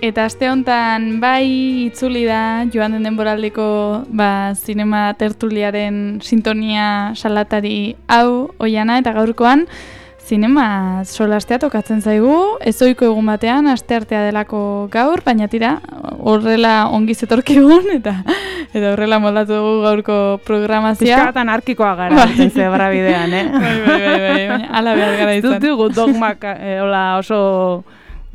Eta aste honetan bai itzuli da joan den denboraldeko zinema tertuliaren sintonia salatari hau Oiana eta gaurkoan zinema solastea tokatzen zaigu, ezohiko egun batean, asteartea delako gaur, baina tira horrela ongi zetorkigun eta horrela moldatu dugu gaurko programazioa. Pizka bat anarkikoa gara, zebra bidean, Bai, baina ala behar gara izan. Ez dugu dogmak oso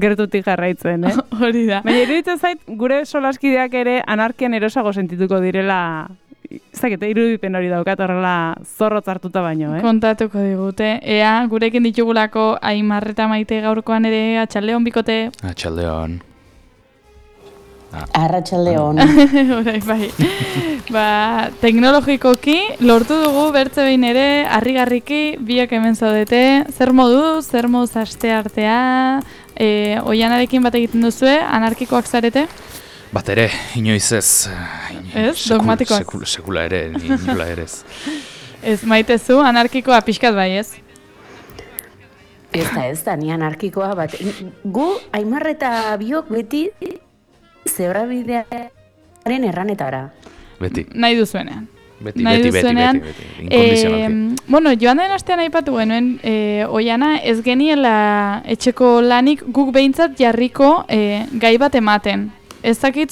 gertutik jarraitzen, Hori da. Baina iruditzen zait, gure solaskideak ere anarkian erosago sentituko direla, ez dakit, irudipen hori daukat horrela zorrotz hartuta baino, Kontatuko digute. Ea, gurekin ditugulako Aimar eta Maite gaurkoan ere, atxaldeon bikote. Atxaldeon. Arratsaldeon. Horai, bai. Teknologikoki lortu dugu bertze behin ere, harrigarriki biak hemen zaudete. Zer moduz asteartea, Oianarekin bat egiten duzue, anarkikoak zarete? Bat ere, inoiz ez. Ez, dogmatikoak. Sekula ere, inola ere ez. Ez, Maite zu, anarkikoa pixkat bai, ez? Ez da, ni anarkikoa bat. Gu, Aimar eta biok beti zebrabidearen erranetara. Beti. Nahi duzuenean. Beti. Inkondizionalki. Bueno, joan den astean aipatu genuen, Oiana, ez geniela etxeko lanik guk behintzat jarriko gai bat ematen. Ez dakit,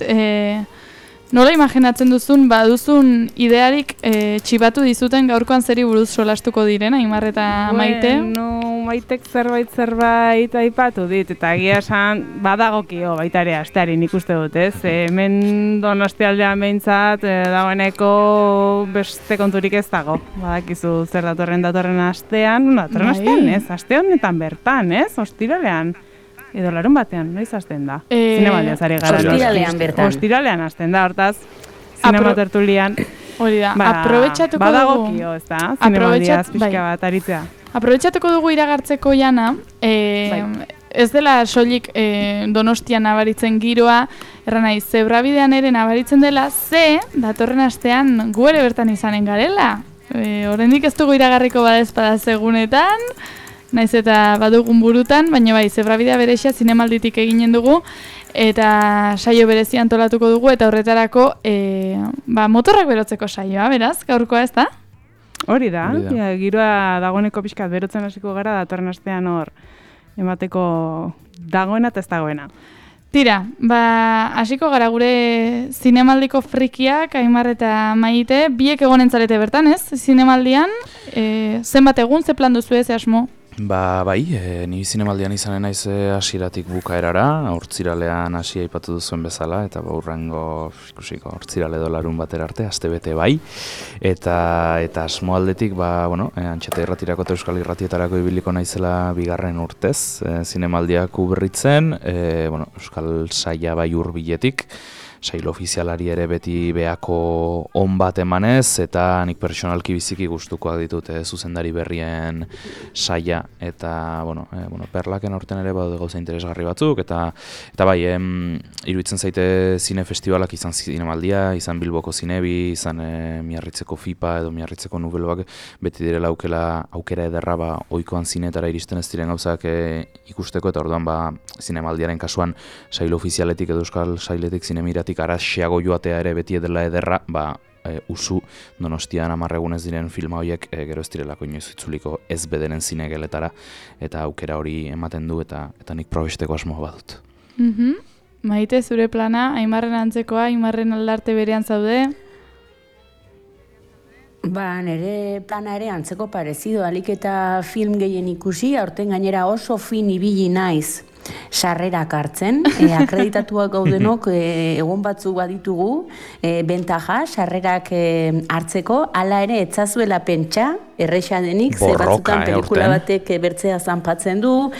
nola imaginatzen duzun, baduzun idearik txibatu dizuten gaurkoan zeri buruz solastuko diren, Aimar eta Maite? Bueno, Maitek zerbait aipatu dit, eta egia esan badagokio baita ere asteari nik uste dut, ez? Hemen Donostialdean behintzat dagoeneko beste konturik ez dago. Badakizu zer datorren astean, astean ez? Aste honetan bertan, ez? Ostiralean. Edo larun batean, noiz hasten da? Zinemaldia zari gara. Ostiralean bertan. Ostiralean hasten da, hortaz, zinema tertulian. Hori da, aprobetxatuko dugu. Badagokio, ez da? Zinemaldiaz pixka bat aritzea. Aprobetxatuko dugu iragartzeko Jana, ez dela soilik Donostian nabaritzen giroa, erran nahi, zebrabidean ere nabaritzen dela, datorren astean gu ere bertan izanen garela. Oraindik ez dugu iragarriko badezpada segunetan, naiz eta badugun burutan, baina bai, zebrabidea berexia zinemalditik eginen dugu, eta saio berezia antolatuko dugu, eta horretarako motorrak berotzeko saioa, beraz, gaurkoa ez da? Hori da, giroa dagoeneko pixkat berotzen hasiko gara, datorren astean hor emateko dagoena eta ez dagoena. Tira, hasiko gara gure zinemaldiko frikiak, Aimar eta Maite, biek egonen zarete bertan, ez? Zinemaldian, zenbat egun, ze plan duzu ez, asmo? Bai, ni zinemaldian izanen naiz hasieratik bukaerara, hortziralean hasi aipatu duzuen bezala, eta urrengo ikusiko hortzirale edo larun batera arte, astebete bai, eta asmo aldetik, Antxeta irratirako eta Euskal Irratietarako ibiliko naizela bigarren urtez, zinemaldiak uberritzen, Euskal Saia bai hurbiletik, sail ofizialari ere beti beako on bat emanez, eta nik pertsonalki biziki gustukoak ditut zuzendari berrien saia, eta perlaken aurten ere badaude gauza interesgarri batzuk, eta bai, iruditzen zaite zine festivalak izan zinemaldia, izan Bilboko Zinebi, izan Miarritzeko FIPA edo Miarritzeko Nubelbak, beti direla aukera ederra ohikoan zinetara iristen ez diren gauzak ikusteko, eta orduan zinemaldiaren kasuan sail ofizialetik edo euskal sailetik zinemiratik araxeago joatea ere beti edela ederra, usu Donostian 10 egunez diren filma horiek gero ez direlako inoiz itzuliko ez bederen zinegeletara, eta aukera hori ematen du, eta nik probesteko asmoa badut. Maite, zure plana, Aimarren antzekoa, Aimarren aldarte berean zaude? Nire plana ere antzeko parezido, alik eta film gehien ikusi, aurten gainera oso fin ibili naiz sarrerak hartzen, akreditatuak gaudenok egon batzuk baditugu, bentaja, sarrerak hartzeko, hala ere etzazuela pentsa, erresa denik, ze batzutan pelikula batek bertzea zanpatzen du,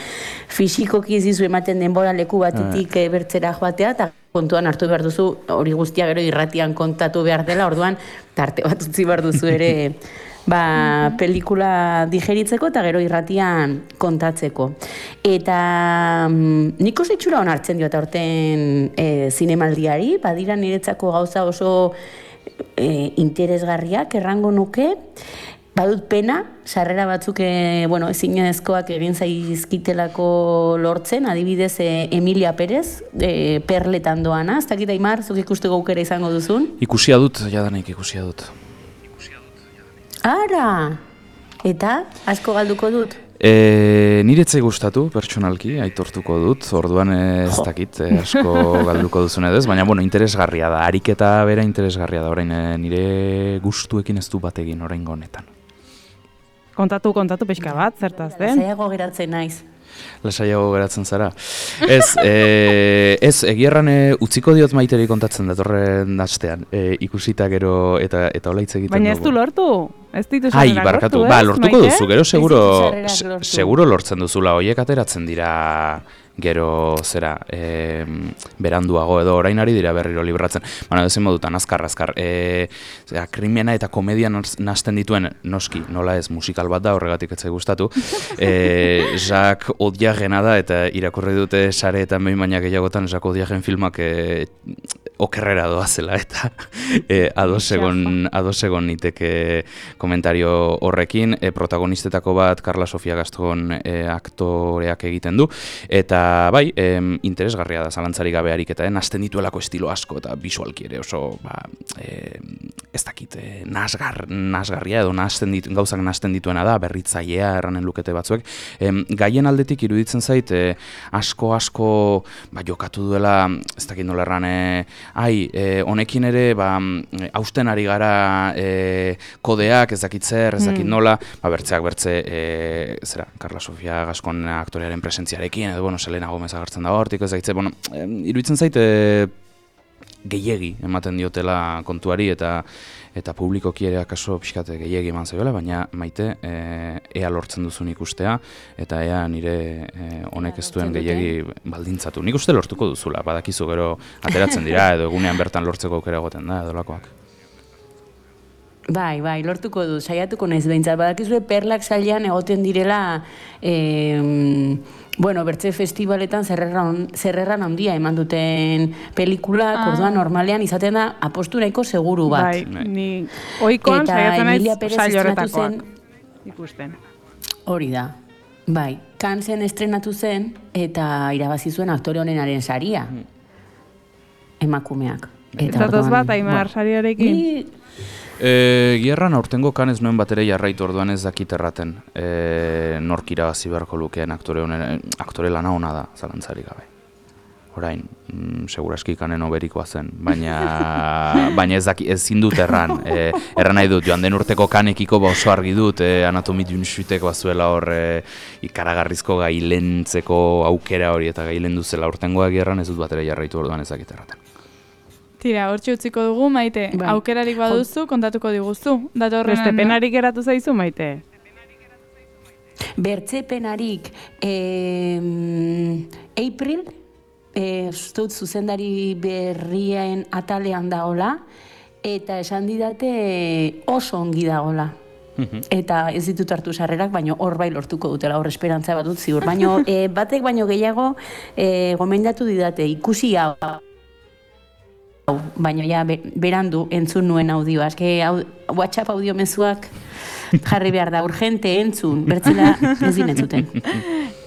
fisikoki ez dizu ematen denbora leku batetik bertzera joatea, eta kontuan hartu behar duzu, hori guztia gero irratian kontatu behar dela, orduan tarte bat utzi behar duzu ere pelikula digeritzeko eta gero irratian kontatzeko. Eta nik oso itxura hon hartzen diot aurten zinemaldiari, badira niretzako gauza oso interesgarriak errango nuke, badut pena, sarrera batzuk ezinezkoak egin zaizkitelako lortzen, adibidez Emilia Perez, Perletan doana, ez dakit Aimar, zuk ikusteko aukera izango duzun? Ikusia dut, jadanik ikusia dut. Ara! Eta, asko galduko dut? Niretzai gustatu, pertsonalki, aitortuko dut, orduan ez dakit asko galduko duzun edo ez, baina interesgarria da, ariketa bera interesgarria da, orain nire gustuekin ez du bat egin oraingo honetan. Kontatu pixka bat, zertaz den? Lasaiago geratzen naiz. Lasaiago geratzen zara. Ez, egierran utziko diot Maiteri kontatzen datorren astean, ikusita gero eta hola hitz egiten dugu. Baina ez du lortu? Ez ditu sarrerak lortu, ez? Lortuko duzu, gero seguro lortzen duzula, horiek ateratzen dira gero zera, beranduago edo orain ari dira berriro libratzen. Baina ezin modutan, azkar. Krimena eta komedia nahasten dituen, noski, nola ez, musikal bat da, horregatik etzai gustatu. Jacques Audiarrena da, eta irakurri dute sareetan behin baina gehiagotan Jacques Audiarren filmak okerrera doazela, eta ados egon niteke komentario horrekin. Protagonistetako bat Carla Sofia Gaston aktoreak egiten du, eta bai, interesgarria da zalantzarik gabe ariketa, hasten dituelako estilo asko eta bisualki ere oso, ez dakit, nahasgarria edo gauzak nahasten dituena da, berritzailea erranen lukete batzuek. Gaien aldetik iruditzen zait, asko jokatu duela, ez dakit nola erran, honekin ere, hausten ari gara kodeak, ez dakit zer, ez dakit nola, bertzeak bertze, Carla Sofia Gascon aktorearen presentziarekin, edo, Selena Gomez agertzen dago hortik, ez dakitze, iruditzen zait gehiegi ematen diotela kontuari eta publikoki ere akaso pixkate gehiegi eman zaiola, baina Maite ea lortzen duzun ikustea eta ea nire honek ez duen gehiegi baldintzatu. Nik uste lortuko duzula, badakizu gero ateratzen dira edo egunean bertan lortzeko aukera egoten da edo lakoak. Bai, lortuko du, saiatuko naiz behintzat. Badakizue Perlak sailean egoten direla, bertze festivaletan zerrerran handia eman duten pelikulak, orduan normalean izaten da apostu nahiko seguru bat. Bai, ni oikoan saiatzen naiz saio horretakoak ikusten. Hori da. Bai, Cannes estrenatu zen eta irabazi zuen aktore honenaren saria. Emakumeak. Zatoz bat, Aimar, sariarekin? Gierran aurtengo Cannes nuen batere jarraitu orduan ez dakit erraten nork irabazi beharko lukeen aktore lana ona da, zalantzarik gabe. Orain, seguraski Cannen oberikoa zen, baina ezin dut erran. Erran nahi dut, joan den urteko Cannekiko oso argi dut, Anatomie d'une chuteko bazuela hor ikaragarrizko gailentzeko aukera hori eta gailendu zela aurtengoa Gierran ez dut batere jarraitu orduan ez dakit erraten. Tira, hortxe utziko dugu, Maite. Aukerarik baduzu, kontatuko diguzu. Beste penarik geratu zaizu, Maite? Bertze penarik, April, zut zuzendari berrien atalean dagoela, eta esan didate oso ongi dagoela. Eta ez ditut hartu sarrerak, baina hor bai lortuko dutela, hor esperantza bat dut ziur. Baina batek baino gehiago gomendatu didate, ikusi hau. Baina ja berandu entzun nuen audioa. WhatsApp audio mezuak jarri behar da, urgente entzun, bertzela ez entzuten.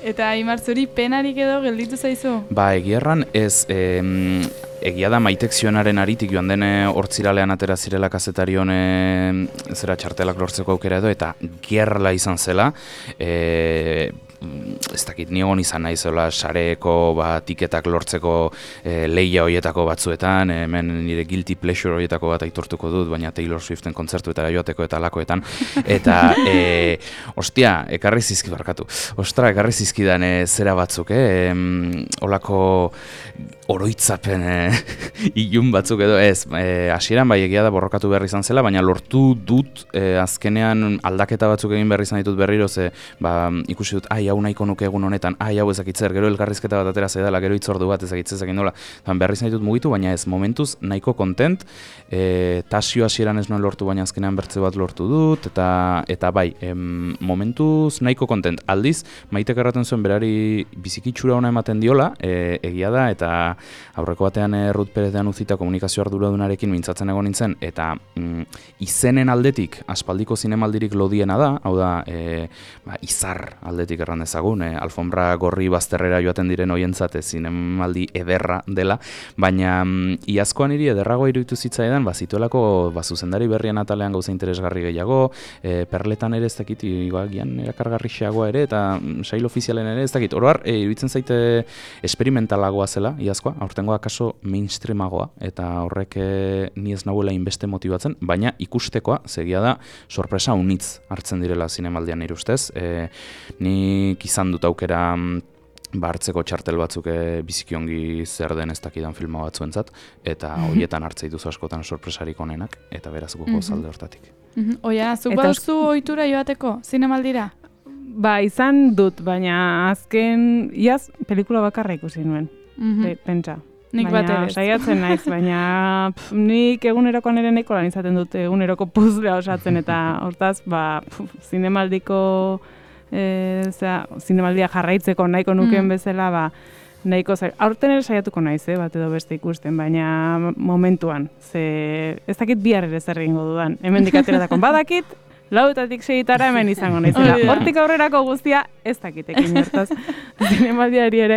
Eta Aimar, zuri penarik edo gelditu zaizu? Egierran ez, egia da Maitek zionaren aritik joan den hortziralean atera zirela kazetarion zera txartelak lortzeko aukera edo, eta gerla izan zela, ez dakit niegon izan nahi zela sareko tiketak lortzeko lehia horietako batzuetan, hemen nire guilty pleasure horietako bat aitortuko dut, baina Taylor Swiften kontzertuetara joateko eta lakoetan, eta ekarri zizkidan zera batzuk, olako oroitzapen ilun batzuk edo ez, hasieran bai egia da borrokatu behar izan zela, baina lortu dut azkenean aldaketa batzuk egin behar izan ditut berriro, ikusi dut, hau nahiko nuke egun honetan, hau ezakitzer, gero elkarrizketa bat atera zaidala, gero hitzordu bat ezakitzezak indola, behar izan ditut mugitu, baina ez, momentuz nahiko kontent, tasio hasieran ez nuen lortu, baina azkenean bertze bat lortu dut, eta bai, momentuz nahiko kontent. Aldiz, Maitek erraten zuen berari bizikitxura ona ematen diola, egia da, eta aurreko batean Ruth Perezean utzita komunikazio arduradunarekin mintzatzen egon nintzen, eta izenen aldetik aspaldiko zinemaldirik lodiena da, hau da, izar aldetik erran dezagun, alfombra gorri bazterrera joaten diren hoientzat zinemaldi ederra dela, baina iazkoan hiri ederragoa iruditu zitzaidan, zituelako zuzendari berrien atalean gauza interesgarri gehiago, perletan ere ez dakit, gian erakargarrixeagoa ere, eta sail ofizialen ere ez dakit. Oroar, iruditzen zaite esperimentalagoa zela, iazkoa, aurtengoa kaso mainstreamagoa, eta horrek ni ez nahuela inbeste motibatzen, baina ikustekoa, segia da, sorpresa unitz hartzen direla zinemaldian nire ustez. Nik izan dut aukera hartzeko txartel batzuk bizikiongi zer den ez dakidan filma batzuentzat, eta horietan hartzei duzu askotan sorpresarik onenak, eta beraz goko zalde hortatik. Oiana, zuk baduzu ohitura joateko, zinemaldira? Ba, izan dut, baina azken, iaz, pelikula bakarra ikusi nuen, pentsa. Nik bat ere. Saiatzen naiz, baina nik egunerokoan ere nahiko lan izaten dut, eguneroko puzlea osatzen, eta hortaz, zinemaldiko, zinemaldia jarraitzeko nahiko nuken bezala, nahiko aurten ere saiatuko naiz, bat edo beste ikusten, baina momentuan, ez dakit bihar ere zer egingo dudan, hemendik ateratako badakit, 4:00 6:00 hemen izango naizela. Hortik aurrerako guztia ez dakitekin hortaz. Zinemaldiari ere,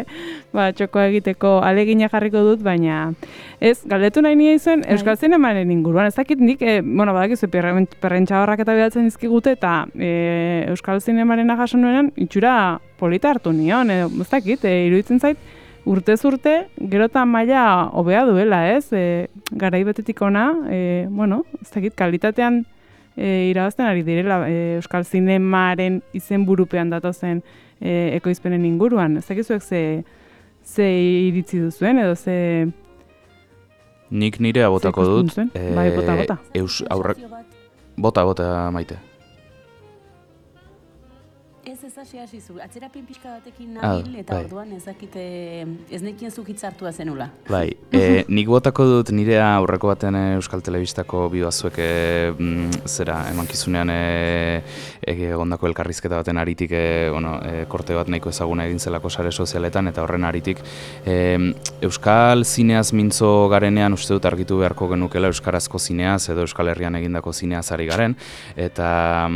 txokoa egiteko alegina jarriko dut, baina ez, galdetu nahi nire izuen, Euskal Zinemaren inguruan, ez dakit nik, badakizu perrentxabarrak eta behatzen dizkigute, eta Euskal Zinemaren jaso nuenean, itxura polita hartu nion, ez dakit, iruditzen zait, urtez urte, gero eta maila hobea duela, ez? Garai betetik ona, ez dakit, kalitatean irabazten ari direla Euskal Zinemaren izenburupean datozen ekoizpenen inguruan. Ez dakizuek ze iritzi duzuen edo ze... Nik nirea botako dut. Bai, bota. Bota, Maite. Ez hasi zu, atzerapen pixka batekin nabil, eta orduan ez nekien zuk hitzartua zenula. Bai, nik botako dut nirea aurreko baten Euskal Telebistako bibazuek emankizunean egondako elkarrizketa baten aritik korte bat nahiko ezaguna egin zelako sare sozialetan, eta horren aritik Euskal zineaz mintzo garenean uste dut argitu beharko genukela euskarazko zineaz edo Euskal Herrian egindako zineaz ari garen, eta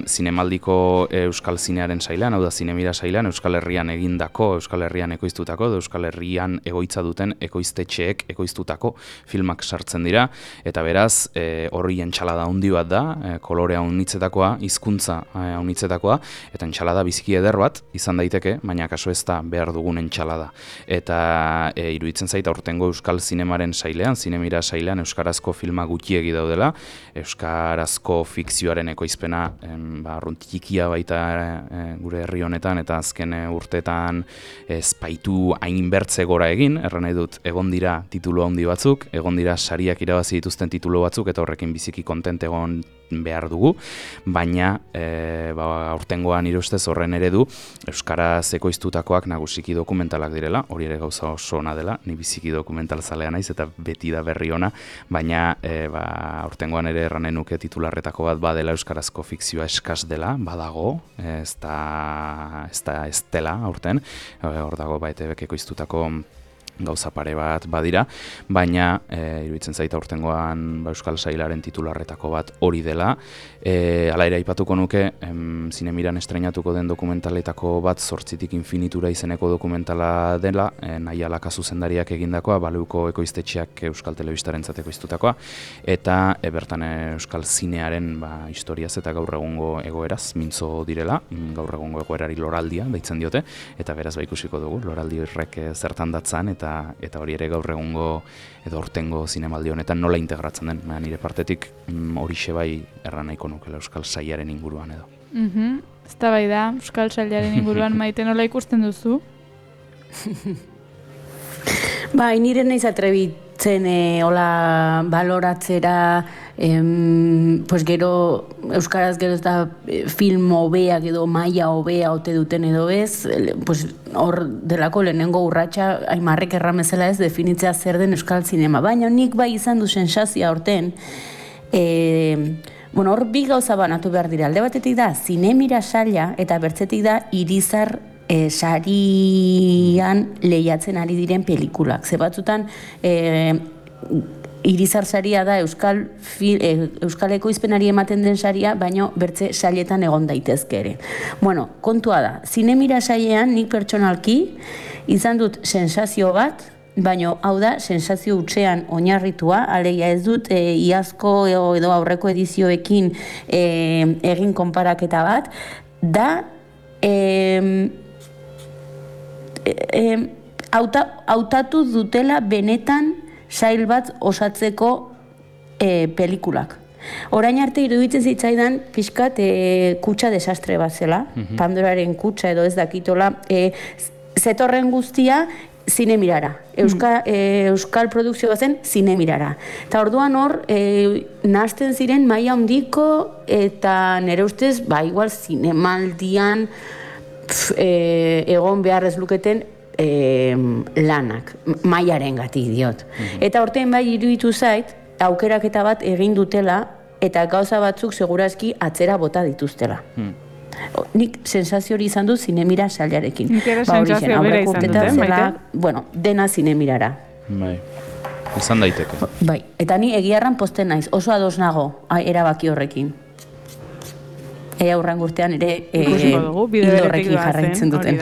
zinemaldiko Euskal zinearen sailean, hau da zinemira sailean, Euskal Herrian egindako, Euskal Herrian ekoiztutako, Euskal Herrian egoitza duten ekoiztetxeek ekoiztutako filmak sartzen dira, eta beraz, horri entxalada handi bat da, kolorea unitzetakoa, hizkuntza unitzetakoa, eta entxalada biziki eder bat, izan daiteke, baina kaso ez da behar dugun entxalada. Eta iruditzen zait aurtengo Euskal Zinemaren sailean, zinemira sailean, euskarazko filma gutxiegi daudela, euskarazko fikzioaren ekoizpena, arruntikia baita gure herri honetan, eta azken urteetan espaitu hainbertze gora egin, erran nahi dut, egon dira titulu handi batzuk, egon dira sariak irabazi dituzten titulu batzuk, eta horrekin biziki kontent egon behar dugu, baina aurtengoan nire ustez horren eredu euskaraz ekoiztutakoak nagusiki dokumentalak direla, hori ere gauza oso ona dela, ni biziki dokumental zalea naiz eta beti da berri ona, baina aurtengoan ere erranen nuke titularretako bat badela euskarazko fikzioa eskas dela, badago, ez dela aurten, hor dago ETVk ekoiztutako gauza pare bat badira, baina iruditzen zaita aurtengoan Euskal Sailaren titularretako bat hori dela. Hala ere aipatuko nuke, Zinemiran estreinatuko den dokumentaletako bat 8tik infinitura izeneko dokumentala dela, Nahiala zuzendariak egindakoa, Baleuko ekoiztetxeak Euskal Telebistarentzat ekoiztutakoa, eta bertan Euskal Zinearen historiaz eta gaur egungo egoeraz mintzo direla, gaur egungo egoerari loraldia deitzen diote, eta beraz ikusiko dugu, loraldi horrek zertan datzan, eta hori ere gaur egungo edo aurtengo zinemaldi honetan nola integratzen den. Nire partetik horixe bai erran nahiko nukela Euskal Sailaren inguruan edo. Eztabaida Euskal Sailaren inguruan Maite nola ikusten duzu? Bai, nire naiz atrebitzen hola baloratzera, pues gero euskaraz gero ez da film hobeak edo maila hobea ote duten edo ez, pues hor delako lehenengo urratsa Aimarrek erramezela ez definitzea zer den euskal zinema, baina nik bai izan du sensazioa aurten, hor bi gauza banatu behar dira, alde batetik da Zinemira saila eta bertzetik da Irizar sarian lehiatzen ari diren pelikulak. Ze batzutan Irizar saria da Euskal ekoizpenari ematen den saria, baino bertze sailetan egon daitezke ere. Bueno, kontua da, zinemira sailean nik pertsonalki izan dut sensazio bat, baino hau da, sensazio hutsean oinarritua, alegia ez dut iazko edo aurreko edizioekin egin konparaketa bat, da hautatu dutela benetan sail bat osatzeko pelikulak. Orain arte iruditzen zitzaidan pixkat kutsa desastre bat zela, Pandoraren kutsa edo ez dakitola, zetorren guztia zinemirara. Euskal produkzio zen zinemirara. Eta orduan hor, nahazten ziren maila handiko eta nire ustez, igual zinemaldian egon behar ez luketen lanak, mailaren gatik diot. Eta horten bai iruditu zait, aukeraketa bat egin dutela eta gauza batzuk segurazki atzera bota dituztela. Nik sensazio hori izan du zinemira sailarekin. Nik ere sensazio bera izan dute, Maite? Bueno, dena zinemirara. Bai, izan daiteke. Bai, eta ni egiarran posten naiz, oso ados nago erabaki horrekin. Aurran urtean ere hildo horrekin jarraitzen duten.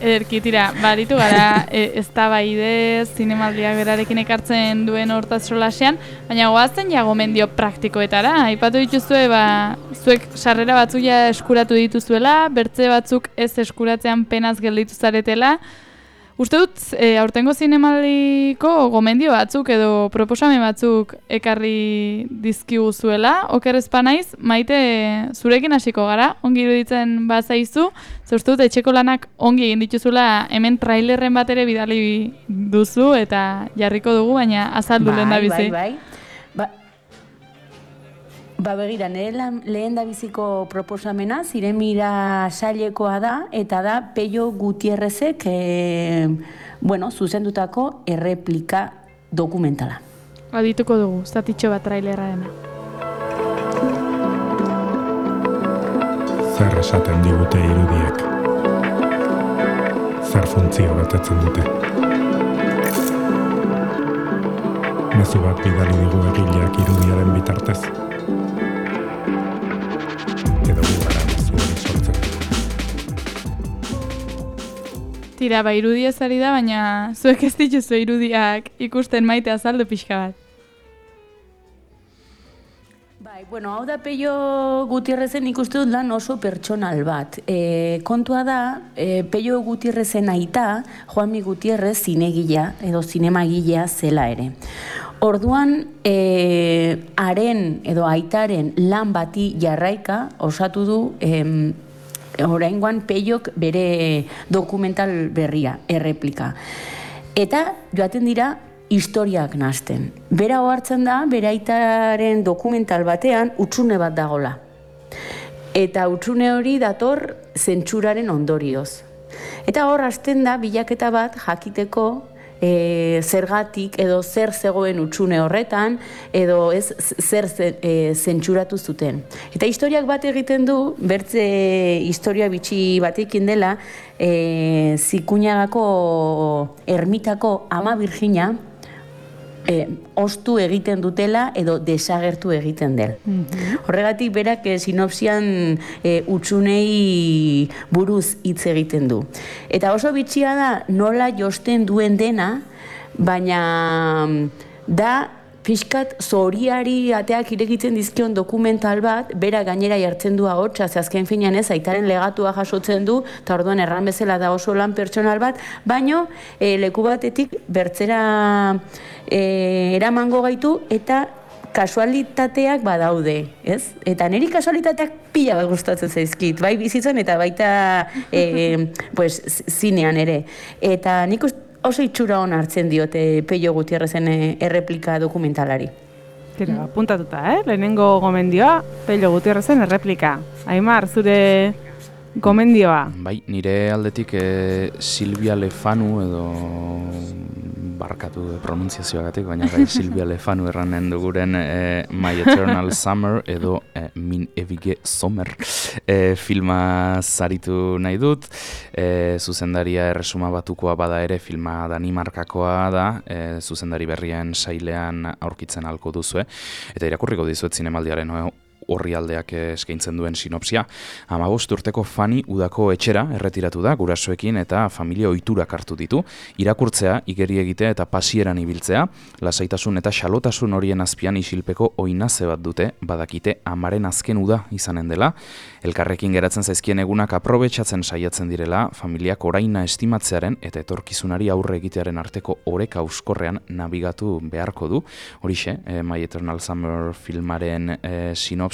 Ederki, tira, baritu gara eztabaidez, zinemaldiak berarekin ekartzen duen hortaz solasean, baina goazen ja gomendio praktikoetara. Aipatu dituzue, zuek sarrera batzuk ja eskuratu dituzuela, bertze batzuk ez eskuratzean penaz gelditu zaretela. Uste dut, aurtengo zinemaldiko gomendio batzuk edo proposamen batzuk ekarri dizkiguzuela, oker ez panaiz, Maite, zurekin hasiko gara, ongi iruditzen bazaizu, ze uste dut etxeko lanak ongi egin dituzula, hemen trailerren bat ere bidali duzu eta jarriko dugu, baina azaldu lehen da bizi. Begira, lehen da biziko proposamena, zinemira sailekoa da, eta da Pello Gutierrezek zuzendutako erreplika dokumentala. Adituko dugu, zatitxo bat trailerrarena. Zer esaten digute irudiek? Zer funtzio betetzen dute? Mezu bat bidali digu egileak irudiaren bitartez. Tira, irudia zari da, baina zuek ez dituzu irudiak ikusten, Maite, azaldu pixka bat. Hau da Pello Gutierrezen ikusten dut lan oso pertsonal bat. Kontua da, Pello Gutierrezen aita, Juanmi Gutierrez zinegilea edo zinemagilea zela ere. Orduan, haren edo aitaren lan bati jarraika osatu du oraingoan Pellok bere dokumental berria, erreplika. Eta joaten dira historiak nahazten. Bera ohartzen da, bere aitaren dokumental batean hutsune bat dagola. Eta hutsune hori dator zentsuraren ondorioz. Eta hor hasten da bilaketa bat jakiteko zergatik edo zer zegoen hutsune horretan edo ez zer zentsuratu zuten. Eta historiak bat egiten du, bertze historia bitxi batekin dela, Zikuñagako ermitako ama Virgina ostu egiten dutela edo desagertu egiten del. Horregatik berak sinopsian hutsunei buruz hitz egiten du. Eta oso bitxia da nola josten duen dena, baina da pixkat zoriari ateak irekitzen dizkion dokumental bat, bera gainera jartzen du ahotsa, ze azken finean ez, aitaren legatua jasotzen du, eta orduan erran bezala da oso lan pertsonal bat, baino leku batetik bertzera eramango gaitu eta kasualitateak badaude, ez? Eta niri kasualitateak pila bat gustatzen zaizkit, bai bizitzen eta baita zinean ere. Eta nik oso itxura hon hartzen diote Pello Gutierrezen erreplika dokumentalari. Tira, apuntatuta, lehenengo gomendioa, Pello Gutierrezen erreplika. Aimar, zure gomendioa? Bai, nire aldetik Silvia Lefanu edo barkatu pronunziazioagatik, baina gai Silvia Lefanu erranen duguren My Eternal Summer edo Min Ewige Sommer filma zaritu nahi dut. Zuzendaria Erresuma Batukoa bada ere, filma Danimarkakoa da, zuzendari berrien sailean aurkitzen halko duzue, eta irakurriko dizuet zinemaldiaren orrialdeak eskaintzen duen sinopsia. 15 urteko Fanny udako etxera erretiratu da gurasoekin eta familia ohiturak hartu ditu. Irakurtzea, igeri egitea eta pasieran ibiltzea, lasaitasun eta xalotasun horien azpian isilpeko oinaze bat dute, badakite amaren azken uda izanen dela. Elkarrekin geratzen zaizkien egunak aprobetxatzen saiatzen direla, familiak oraina estimatzearen eta etorkizunari aurre egitearen arteko oreka euskorrean nabigatu beharko du. Horixe, My Eternal Summer filmaren sinopsia.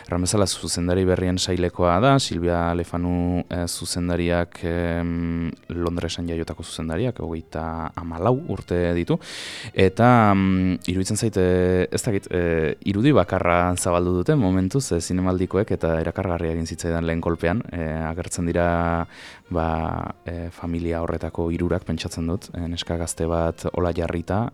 Ramezala zuzendari berrien sailekoa da, Silvia Lefanu zuzendariak Londresen jaiotako zuzendariak, 34 urte ditu, eta iruditzen zait, ez dakit, irudi bakarra zabaldu dute momentuz zinemaldikoek, eta erakargarria egin zitzaidan lehen kolpean, agertzen dira familia horretako hirurak pentsatzen dut, neska gazte bat hola jarrita,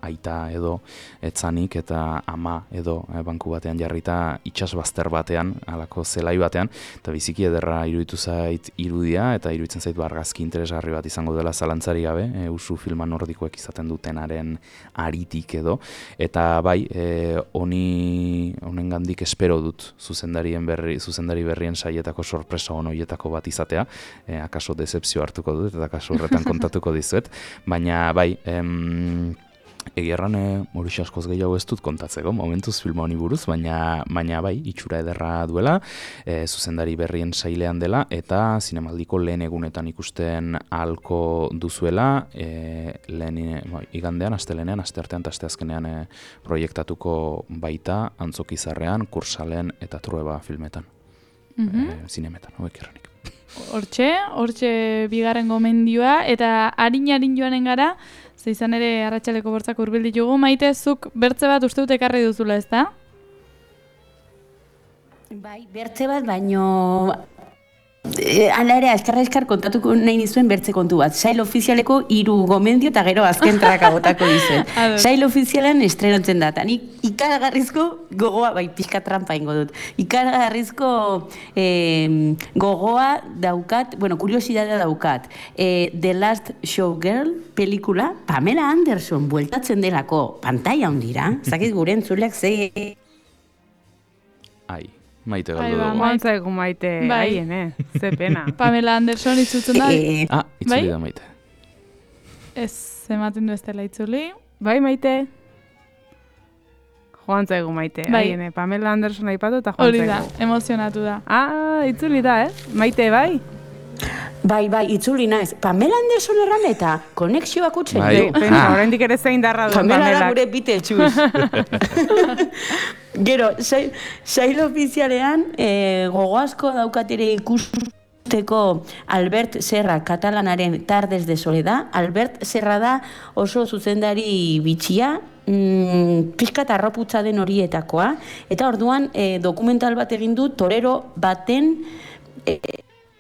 aita edo etzanik eta ama edo banku batean jarrita itsas bazter batean, halako zelai batean, eta biziki ederra iruditu zait irudia, eta iruditzen zait argazki interesgarri bat izango dela zalantzari gabe, usu filma nordikoek izaten dutenaren aritik edo, eta bai, honengandik espero dut zuzendari berrien saietako sorpresa honoietako bat izatea, akaso decepzio hartuko dut, eta akaso horretan kontatuko dizuet, baina bai, egia erran horixe askoz gehiago ez dut kontatzeko, momentuz filma honi buruz, baina bai, itxura ederra duela, zuzendari berrien sailean dela, eta zinemaldiko lehen egunetan ikusten ahalko duzuela, igandean, astelenean, asteartean eta asteazkenean proiektatuko baita Antzokizarrean, Kursalen eta Trueba filmetan, zinemetan, hauek erranik. Hortxe bigarren gomendioa, eta harin joanen gara, ze izan ere arratsaleko bortzak hurbil ditugu. Maite, zuk bertze bat uste dut ekarri duzula, ezta? Bai, bertze bat, baino hala ere, azkar kontatuko nahi nizuen bertze kontu bat. Sail ofizialeko 3 gomendio eta gero azken traka botako dizuet. Sail ofizialean estrenatzen da, eta nik ikaragarrizko gogoa, bai, pixka trampa ingo dut, ikaragarrizko gogoa daukat, kuriosidadea daukat. The Last Showgirl pelikula, Pamela Anderson bueltatzen delako pantaila hondira, zakit gure entzuleak ze... Ai. Maite galdu dugu. Moantzaigu Maite, haien, ze pena. Pamela Anderson itzutzen da. Itzuli da Maite. Ez ematen du ez dela itzuli. Bai, Maite. Joantzaigu Maite, haien, Pamela Anderson aipatu eta joantzaigu. Hori da, emozionatu da. Itzuli da, Maite, bai? Bai, itzuli naiz. Pamela Anderson erran eta konexioak utzen. Oraindik ere zein darra duen Pamela. Pamela da gure Beetlejuice. Gero, sail ofizialean gogo asko daukatere ikusteko Albert Serra katalanaren Tardes de Soledad. Albert Serra da oso zuzendari bitxia, pixkat arroputza den horietakoa, eta orduan dokumental bat egin du torero baten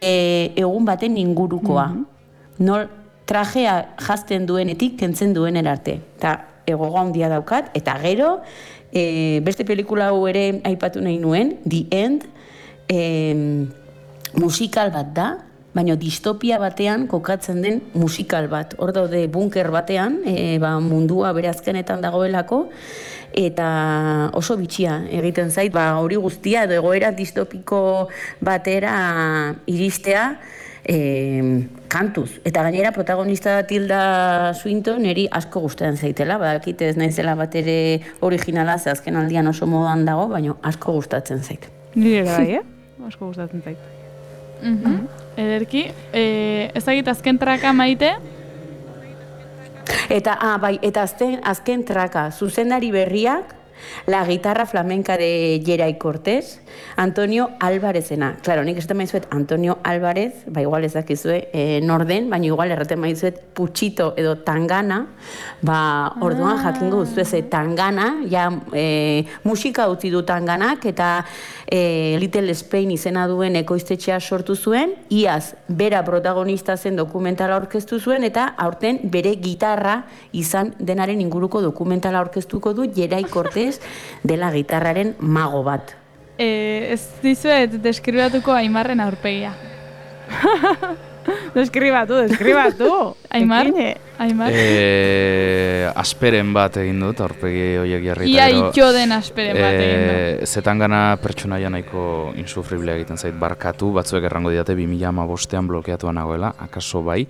egun baten ingurukoa. Nol trajea jazten duenetik kentzen duen erarte. Eta gogo handia daukat, eta gero beste pelikula hau ere aipatu nahi nuen, The End, musikal bat da, baina distopia batean kokatzen den musikal bat. Hor daude bunker batean, mundua bere azkenetan dagoelako, eta oso bitxia egiten zait, hori guztia, egoera distopiko batera iristea, kantuz. Eta gainera protagonista Tilda Swinton eri asko gustatzen zaitela, badakit ez naizela bat ere originala, ze azken aldian oso modan dago, baina asko gustatzen zait. Nire bai, asko gustatzen zait. Ederki, ezagit azken traka Maite? Eta azken traka, zuzendari berriak, La guitarra flamenca de Geray Cortés, Antonio Álvarezena. Claro, nik esaten maizuet Antonio Álvarez, igual ez dakizue norden, baina igual erraten maizuet Puchito edo Tangana, orduan jakingo duzu Tangana, ja musika utzi du Tanganak, eta Little Spain izena duen ekoiztetxea sortu zuen, iaz bera protagonista zen dokumentala aurkeztu zuen, eta aurten bere gitarra izan denaren inguruko dokumentala aurkeztuko du Geray Cortés dela gitarraren mago bat. Ez dizuet deskribatuko Aimarren aurpegia. Deskribatu. Aimar? Asperen bat egin dut, aurpegi horiek jarri. Ia itxo den asperen bat egin dut. Zetangana pertsonaia nahiko insufrible egiten zait barkatu, batzuek errango didate 2015an blokeatua nagoela, akaso bai,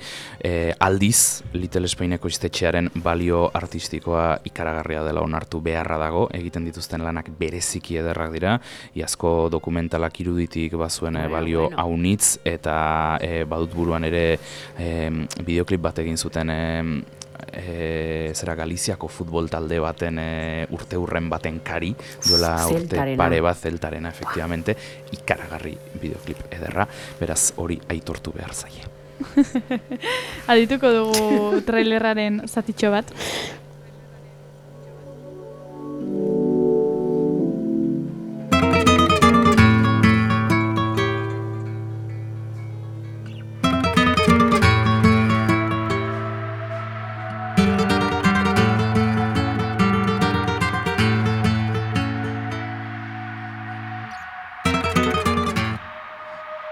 aldiz Little Spaineko iztetxearen balio artistikoa ikaragarria dela onartu beharra dago, egiten dituzten lanak bereziki ederrak dira, iazko dokumentalak iruditik bazuen balio haunitz, eta badut buruan ere bideoklip bat egin zuten Galiziako futbol talde baten urte hurren baten kari, duela urte pare bat Zeltarena, efectivamente, ikaragarri bideoklip ederra, beraz hori aitortu behar zaie. Adituko dugu trailerraren zatitxo bat.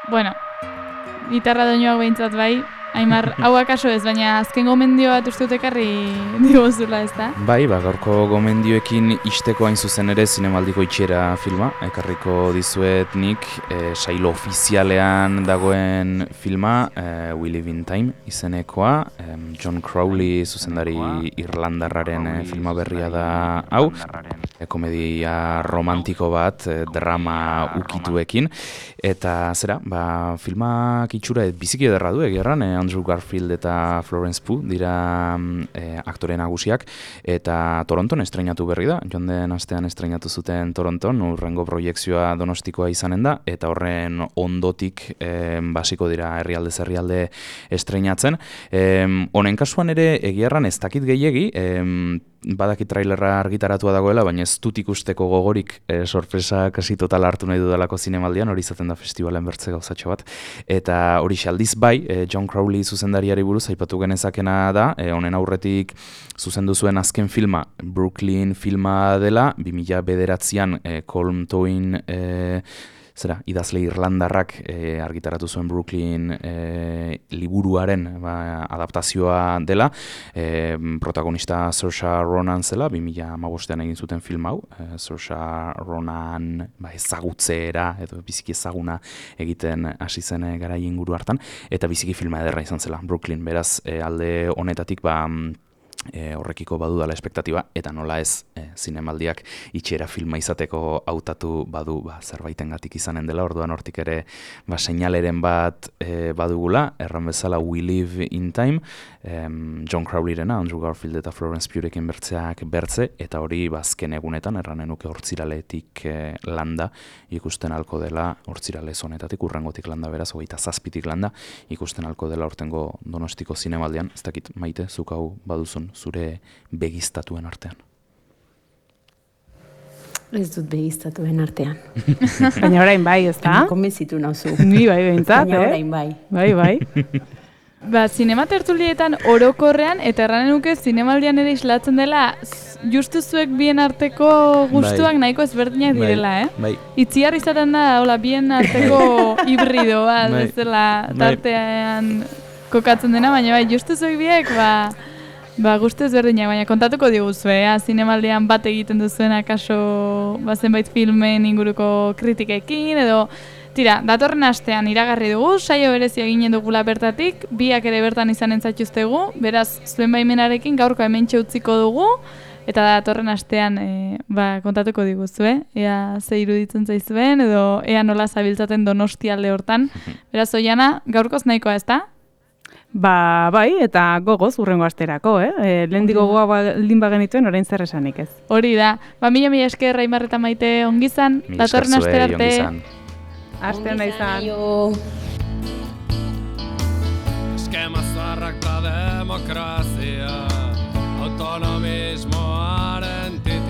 Bueno, gitarra doinoak behintzat bai, Aimar, hau akaso ez, baina azken gomendio bat uste dut ekarri diguzula, ez da? Bai, gaurko gomendioekin isteko hain zuzen ere zinemaldiko itxiera filma, ekarriko dizuet nik, sailo ofizialean dagoen filma, We Live in Time izenekoa, John Crowley zuzendari irlandarraren filma berria da hau, komedia romantiko bat, drama ukituekin, eta filmak itxura biziki ederra du egerran, Andrew Garfield eta Florence Pugh dira aktore nagusiak, eta Toronton estreinatu berri da, joan den astean estreinatu zuten Toronton, hurrengo proiekzioa Donostikoa izanen da, eta horren ondotik basiko dira herrialde estreinatzen. Honen kasuan ere egiarran ez dakit gehiegi, badaki trailerra argitaratua dagoela, baina ez dut ikusteko gogorik sorpresa kasi total hartu nahi dudalako zinemaldian, hori izaten da festivalen bertze gauzatxo bat. Eta hori aldiz bai, John Crowley zuzendariari buruz aipatu genezakena da, honen aurretik zuzendu zuen azken filma, Brooklyn filma dela, 2009an Colm Twain idazle irlandarrak argitaratu zuen Brooklyn liburuaren adaptazioa dela, protagonista Saoirse Ronan zela, 2015an egin zuten film hau, Saoirse Ronan ezagutzeera edo biziki ezaguna egiten hasi zen garai inguru hartan, eta biziki filma ederra izan zela Brooklyn, beraz alde honetatik horrekiko badu dala espektatiba, eta nola ez zinemaldiak itxiera filma izateko hautatu badu zerbaitengatik izanen dela, orduan hortik ere seinaleren bat badugula, erran bezala We Live in Time, John Crowleyrena, Andrew Garfield eta Florence Pughrekin bertze, eta hori azken egunetan, erranen nuke hortziraletik landa, ikusten alko dela, hortzirale zonetatik, urrangotik landa beraz, 27tik landa, ikusten alko dela hortengo Donostiko zinemaldian, ez dakit Maite, zuk hau baduzun zure begiztatuen artean. Ez dut begiztatuen artean. Baina orain bai, ez da? Konbentzitu nauzu. Ni bai behintzat, Baina orain bai. Bai. Zinema tertulietan orokorrean, eta erranen nuke zinemaldian ere islatzen dela, justu zuek bien arteko gustuak nahiko ezberdinak direla, Bai. Itziar izaten da, bien arteko hibrido bat, ez dela tartean kokatzen dena, baina justu zuek biek, gustu ezberdinak, baina kontatuko diguzue, zinemaldian bat egiten duzuen akaso zenbait filmen inguruko kritikekin, edo tira, datorren astean iragarri dugu, saio berezia ginen dugula bertatik, biak ere bertan izanen zaituztegu, beraz, zuen baimenarekin gaurko hementxe utziko dugu, eta datorren astean kontatuko diguzue, ea ze iruditzen zaizuen, edo ea nola zabiltzaten Donostialde hortan. Beraz, Oiana, gaurkoz nahikoa ez da? Bai, eta gogoz urrengo asterako, lehendik gogoa baldin bagenituen, orain zer esanik ez. Hori da. Mila esker Aimar eta Maite ongizan, datorren astera arte. Aste ona izan. Eskema zaharrak da demokrazia, autonomismo